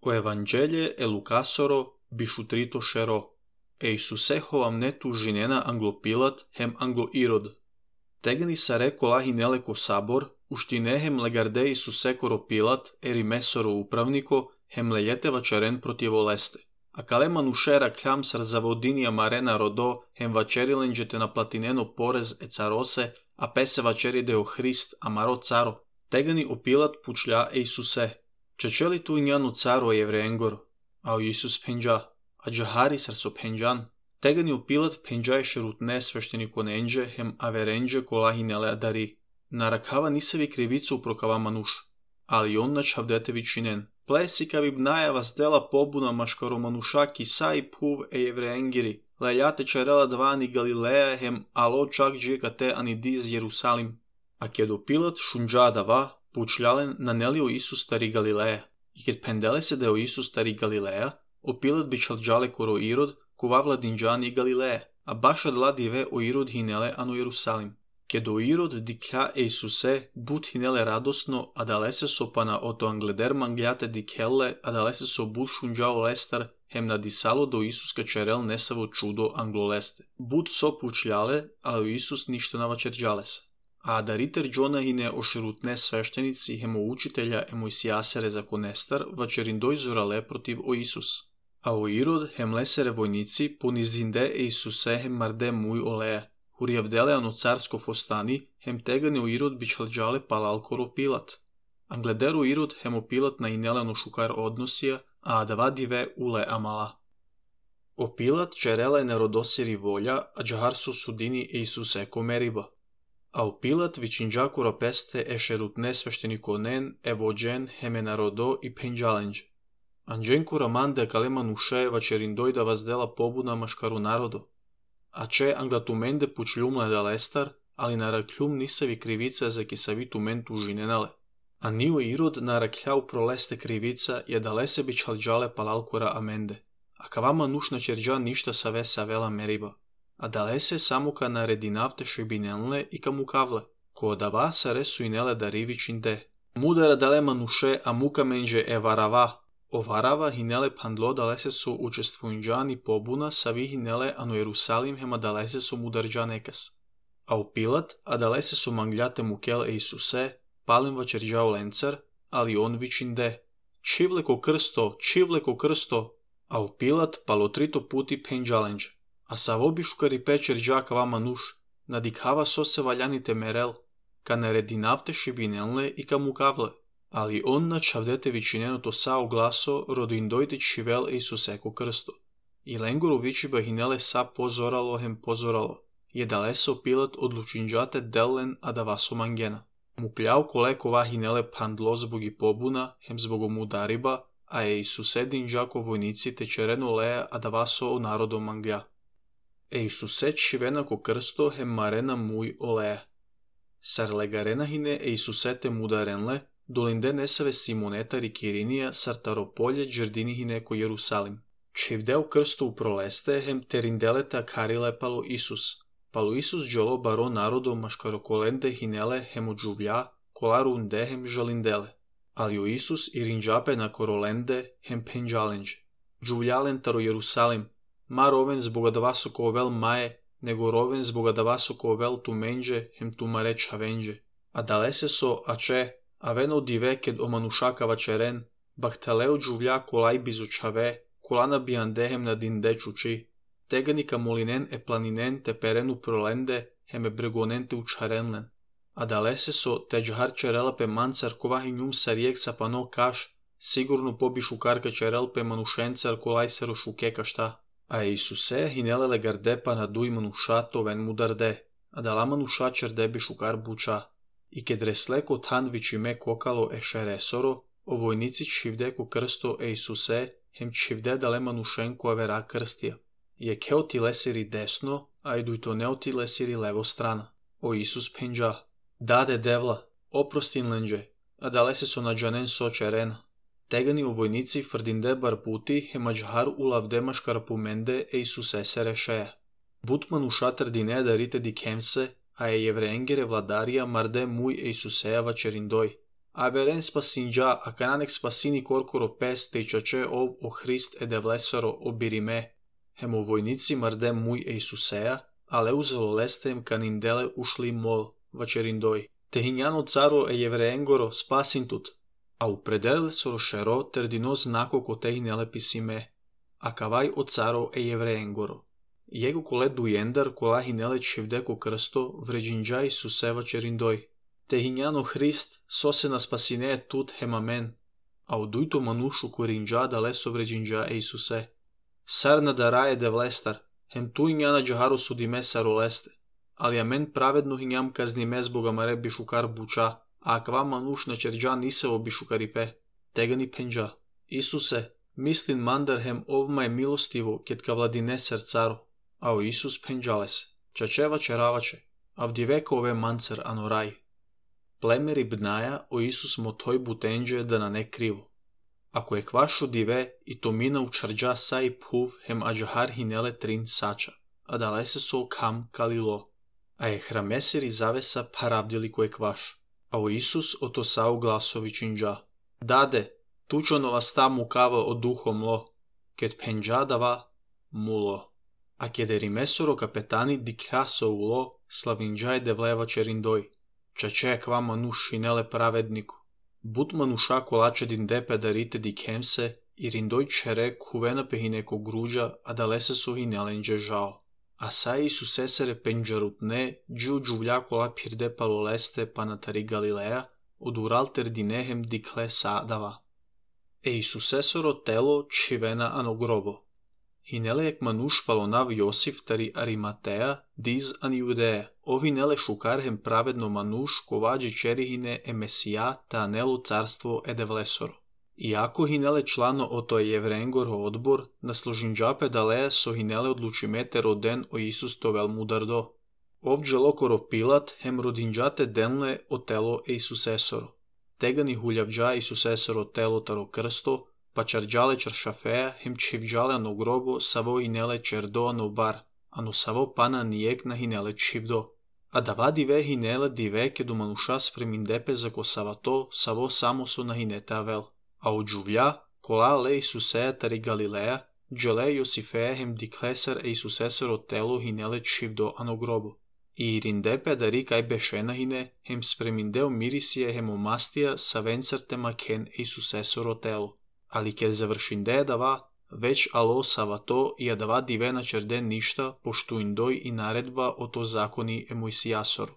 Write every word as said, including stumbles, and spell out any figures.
O Evanghelie e Lucasoro bișutrito šero. E Isuseho amnetu žinena Anglo Pilat hem Anglo Irod. Tegni sare kola hinele ko sabor, uštinehem legarde Isusekoro Pilat eri mesoro upravniko hem lejeteva čaren protivo leste. A kale manušera kljam sar zavodinija marena rodo hem vačerilenđete na platineno porez e carose, a pese vačeri deo Hrist a maro caro. Tegani o Pilat pučlja e Isuse. Čečeli tu njanu caro e evreengor, a o Isus penđa, a džahari sar so penđan. Tegani o Pilat penđa e šerutne svešteniko nenđe hem averenđe kola hinele adari. Narakava nisevi krivicu uprokava manuš, ali on načavdete vičinen. Plesika bi bnaja vas dela pobuna maškaro manušaki sa i puv e evreengiri, lejate čarela dvani Galileja hem alo čak džekate ani diz Jerusalim. A kedo Pilat šunđa dava, pučljalen nanelio Isus stari Galileja. I kad pendele se deo Isus stari Galileja, o Pilat bi čalđale koro Irod, kova vladinđan i Galileja, a baš adla dive o Irod hinele anu Jerusalim. Kedo Irod diklja e Isuse, but hinele radosno, a dale se so pana oto angleder mangjate dikelle, a dale se so but šunđao lestar, hem nadisalo do Isuska čerel nesavo čudo anglo leste. But so pučljale, ali Isus ništa navačerđale se. A dariter džona hine oširutne sveštenici hemo učitelja e Mojsijasere zakonestar vačerin dojzorale protiv o Isus. A o Irod hem lesere vojnici ponizdinde e Isuse hem marde muj oleje. Hurjavdele ano carsko fostani hem tegane o Irod bičalđale palalkoro Pilat. Anglederu Irod hem o Pilat na inelano šukar odnosija, a adava dive ule amala. O Pilat čerele nerodosiri volja, a džahar su sudini e Isuse komeriba. A o Pilat vičinđakura peste e šerutne sveštenikonen e vođen heme narodo i penđalenđ. Anđenkura mande kale manuše vačerin dojda vas dela pobuna maškaru narodo. A če anglatumende pučljumle da lestar, ali narakljum nisavi krivica za kisavi tumentu žinenale. A nio Irod narakljau proleste krivica je da lese bi čalđale palalkura amende. A kavama nušna čerđa ništa save savela meriba. A dalese samo ka naredinavte šibinelne i ka mukavle, ko dava sare su inele darivičinde. Mudara dale manuše a muka menđe e varava. O varava hinele pandlo dalese su učestvujnđani pobuna savi hinele anu Jerusalim hema dalese su mudarđa nekas. A u Pilat a dalese su mangljate mukel e Isuse, palim vačerđao lencar, ali on vičinde. Čivle ko krsto, čivle ko krsto, a u Pilat palotrito puti penđalenđ. A savo bišukari pečer džaka vama nuš, nadikava so se valjanite merel, ka naredinavte šibinelne i ka mukavle. Ali on na čavdete vičineno to sao glaso rodin dojte čivel e Isuseko krsto. I lengoru vičiba hinele sa pozoralo hem pozoralo, je daleso Pilat odlučinđate dellen a da vaso mangena. Mukljao kolekova hinele pandlo zbog i pobuna hem zbog mudariba, a e Isuse dinđako vojnici tečereno leja a da vaso o narodom manglja. E Isuse čivena ko krsto hem marena muj oleja. Sar legarena hine e Isusete mudarenle, dolinde nesave Simoneta Rikirinija sar taropolje džerdini hine ko Jerusalim. Čivdeo krsto u proleste hem terindeleta karile palo Isus. Palo Isus džolo baro narodo maškarokolende hinele hem odžuvlja, kolarunde hem žalindele. Ali o Isus i rinđape na korolende hem penđalenđ. Džuvljalen taro Jerusalim, ma roven zboga da vaso ko ovel maje, nego roven zboga da vaso ko ovel tu menđe, hem tu mare čavenđe. A dalese so, a če, a veno dive ked o manušaka vačeren, bahtaleo džuvlja kolaj bizu čave, kolana biandehem na dinde čuči. Teganika molinen e planinen te perenu prolende, hem e bregonen te učarenlen. A dalese so, te džahar čerela pe mancar kovahi njum sarijek sa pano kaš, sigurno pobišu karka čerel pe manušencar kolaj se rošukeka šta. A Isuse hinele legarde pa na duj manuša to ven mudarde, a dala manuša čerde bi šukar buča. I ked resleko tan vičime kokalo e šeresoro, o vojnici čivde ko krsto e Isuse, hem čivde dale manušenko avera krstija. Je keo ti lesiri desno, a iduj to neo ti lesiri levo strana. O Isus penđa. Dade devla, oprostin lenđe, a dale se so nađanen so čerena. Tegani o vojnici frdinde barputi hemađhar ulavde maškarapumende e Isuse se rešeja. But manuša trdine darite dikemse, a e jevreengere vladarija marde muj e Isuseja vačerindoj. a verен спасинджа, а кананек спасини коркоро пес, те чаче ов о Христ е девлесаро обириме, хемо војници марде муј е Исусеја, але узело лестем канинделе ушли мол, вачериндој. Техињано царо е евреенгоро спасинтут, а упределе соро шеро тердино знако ко техинеле писиме, а кавај о царо е евреенгоро. Jego kole duјендар кола хинеле чивде ко крсто вреđинджа Исусе вачериндој. Техињано Христ сосе на спасинее тут хемамен, а одујто манушу коринджа дале со вреđинджа е Исусе. Сарна дарае девлестар, хем ту ињана джахаро судиме саролесте, али амен праведно хињам казниме збога маре бишукар буча, а аква мануш на черджа нисело бишукарипе, тега ни пенджа. Исусе, мислин мандар хем овма е милостиво, кет ка владине срцаро, а о Исус пенджалес, чачева чераваче, а вдивека ове манцер анорај. Племери бнаја о Исус мо тој бутенџе да на не криво. Ако е квашо диве и то мина у чарджа са и пув хем аджахар хинеле трин сача, а далесе со кам калило, а е храмесери завеса парабдили кој кваш, а о Исус ото сао гласови чинджа. Даде, тучонова ста мукава о духо мло, кет пенджа дава муло. А кеде римесоро капетани дикасо уло, славинджај девлева чериндој, чаче ква мануш шинеле праведнико. Бут мануша колаче дин депе дарите дикемсе, и риндој чере кувена пехинеко груджа, а далесе со хинеленџе жао. А са Исусе се репенџарутне, джио джувля кола пирде палолесте панатари Галилеја, одурал тердинехем дикле садава. Е Исусе соро тело чивена аногробо. Хинеле ек мануш палонав Јосиф тари Ариматеја, диз ан Јудеја. Ови неле шукархем праведно мануш, коваđи черихине е Месија, та анело царство е девлесоро. Иако хинеле члано ото е евренгоро одбор, на сложинџапе далеја со хинеле одлучимете роден о Исус товел мудардо. Овџе локоро Пилат, хем родинџате денле о тело е Исусесоро. Тега ни хулјавџа Исусесоро тело таро крсто, па чарджале чаршафеја, хем чивџале ано гробо, саво хинеле чердо ано бар, ано саво пана ниек на хинеле чивдо. А дава диве хинеле диве ке до мануша спреминдепе за косавато, саво само со на хинете авел. А од джувља, кола ле Исусеја тари Галилеја, джеле Јосифеја хем диклесар е Исусесоро тело хинеле чивдо ано гробо. И ириндепе дари кај бешена хине, хем спреминдео мирисија хем омастија са венцерте макен е Исусесоро тело. Али ке завршиндеја дава, веќе ало савато и ја дава диве на черден ништа, пошто индој и наредба ото закони е Мојсијасоро.